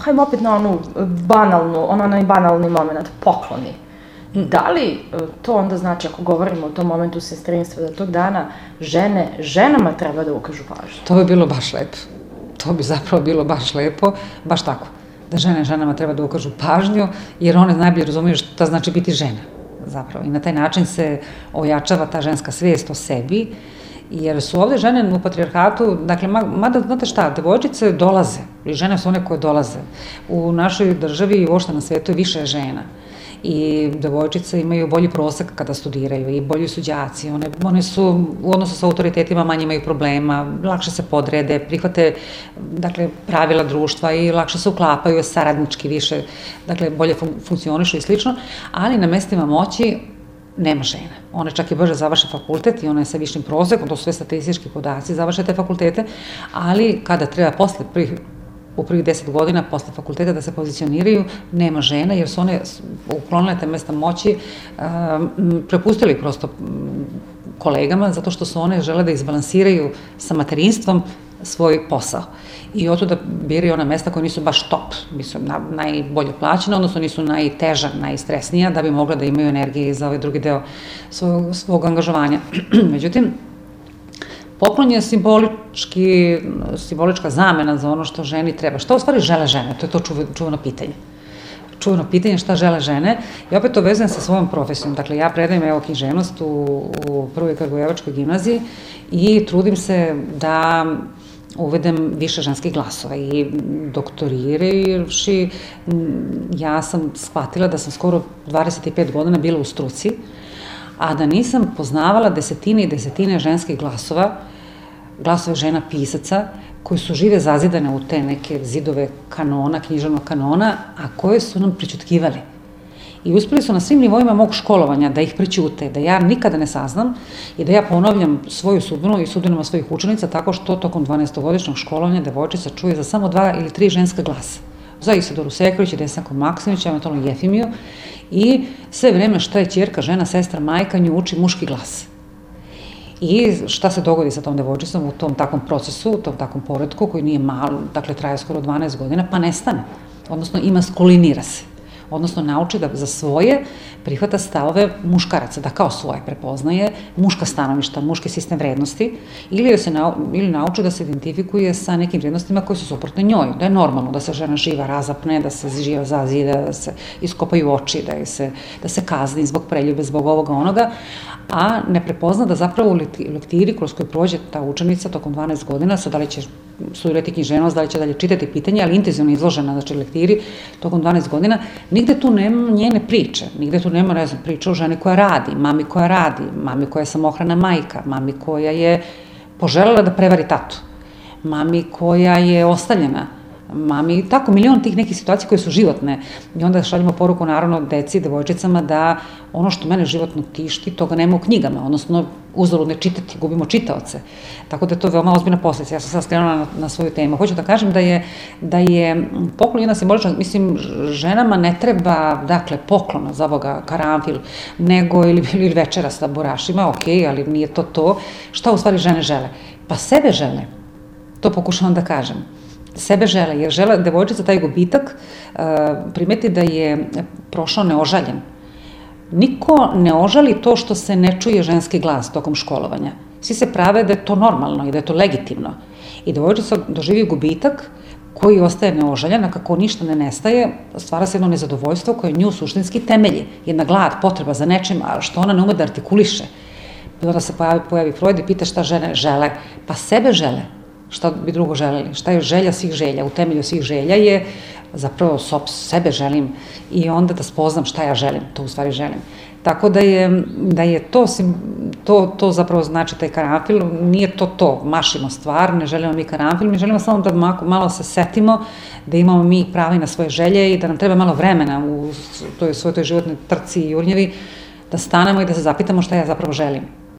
hajmo opet na onu onaj banalni moment, pokloni. Da li to onda znači, ako govorimo o tom momentu sestrinstva, da tog dana ženama treba da ukažu pažnju? To bi bilo baš lepo. To bi zapravo bilo baš lepo, baš tako. Da ženama treba da ukažu pažnju, jer one najbolje razumiju šta znači biti žena, zapravo. I na taj način se ojačava ta ženska svijest o sebi, jer su ovde žene u patrijarhatu, dakle, mada, znate šta, devojčice dolaze, i žene su one koje dolaze. U našoj državi i uopšte na svetu je više žena. I devojčice imaju bolji prosek kada studiraju i bolji su đaci, one su u odnosu sa autoritetima manje imaju problema, lakše se podrede, prihvate, dakle, pravila društva i lakše se uklapaju saradnički više, dakle, bolje funkcionišu i slično, ali na mestima moći nema žena. One čak i brže završe fakultet i one sa višim prosekom, to su sve statistički podaci, završe te fakultete, ali kada treba u prvih 10 godina posle fakulteta da se pozicioniraju, nema žena, jer su one uklonile te mesta moći, prepustili prosto kolegama, zato što su one žele da izbalansiraju sa materinstvom svoj posao. I oto da biraju ona mesta koja nisu baš top, nisu najbolje plaćena, odnosno nisu najteža, najstresnija, da bi mogla da imaju energije za ovaj drugi deo svog angažovanja. Međutim, poklon je simbolička zamena za ono što ženi treba. Šta u stvari žele žene? To je to čuveno pitanje. Čuveno pitanje šta žele žene. I opet to vezujem sa svojom profesijom. Dakle, ja predajem književnost u Prvoj Kragujevačkoj gimnaziji i trudim se da uvedem više ženskih glasova. I doktoririvši, ja sam shvatila da sam skoro 25 godina bila u struci, a da nisam poznavala desetine i desetine ženskih glasove žena pisaca, koji su žive zazidane u te neke zidove kanona, književnog kanona, a koje su nam prećutkivali. I uspeli su na svim nivoima mog školovanja da ih prećute, da ja nikada ne saznam i da ja ponavljam svoju sudbinu i sudbinama svojih učenica tako što tokom 12-godišnjeg školovanja devojčica čuje za samo 2 ili 3 ženska glasa. Za Isidoru Sekulić i Desanku Maksimović, eventualno Jefimiju, i sve vreme šta je ćerka, žena, sestra, majka, nju uči muški glas. I šta se dogodi sa tom devojčicom u tom takvom procesu, u tom takvom poretku koji nije malo, dakle traje skoro 12 godina, pa nestane, odnosno imaskulinira se. Odnosno nauči da za svoje prihvata stavove muškaraca, da kao svoje prepoznaje muška stanovišta, muški sistem vrednosti, ili nauči da se identifikuje sa nekim vrednostima koje su suprotne njoj, da je normalno da se žena živa razapne, da se živa zazida, da se iskopaju oči, da se kazni zbog preljube, zbog ovoga onoga, a ne prepozna da zapravo u lektiri kroz koju prođe ta učenica tokom 12 godina, sad da li će studirati književnost, da li će dalje čitati pitanje, ali intenzivno izložena, znači lektiri tokom 12 godina, nigde tu nema njene priče, nigde tu nema, ne znam, priče o ženi koja radi, mami koja je samohrana majka, mami koja je poželjela da prevari tatu, mami koja je ostavljena, mami, tako, milion tih nekih situacija koje su životne. I onda šaljemo poruku, naravno, deci, devojčicama, da ono što mene životno tišti, toga nema u knjigama, odnosno uzalud ne čitati, gubimo čitaoce. Tako da je to veoma ozbiljna posljedica. Ja sam sad skrenula na svoju temu. Hoću da kažem da je poklon jedna simbolična, mislim, ženama ne treba, dakle, poklona za ovoga, karanfil, nego ili večera sa burašima, okej, ali nije to to. Šta u stvari žene žele? Pa sebe žele. To pokušavam da kažem. Sebe žele, jer žele devojčica taj gubitak primeti da je prošao neožaljen. Niko ne ožali to što se ne čuje ženski glas tokom školovanja. Svi se prave da je to normalno i da je to legitimno. I devojčica doživi gubitak koji ostaje neožaljen, a kako ništa ne nestaje, stvara se jedno nezadovoljstvo koje nju suštinski temelji. Jedna glad, potreba za nečim, a što ona ne ume da artikuliše. I onda se pojavi Freud i pita šta žene žele. Pa sebe žele. Šta bi drugo želeli, šta je želja svih želja, u temelju svih želja je zapravo sebe želim i onda da spoznam šta ja želim, to u stvari želim. Tako da je to zapravo znači taj karanfil, nije to, mašimo stvar, ne želimo mi karanfil, mi želimo samo da malo se setimo, da imamo mi prava i na svoje želje i da nam treba malo vremena u svojoj životnoj trci i jurnjevi, da stanemo i da se zapitamo šta ja zapravo želim.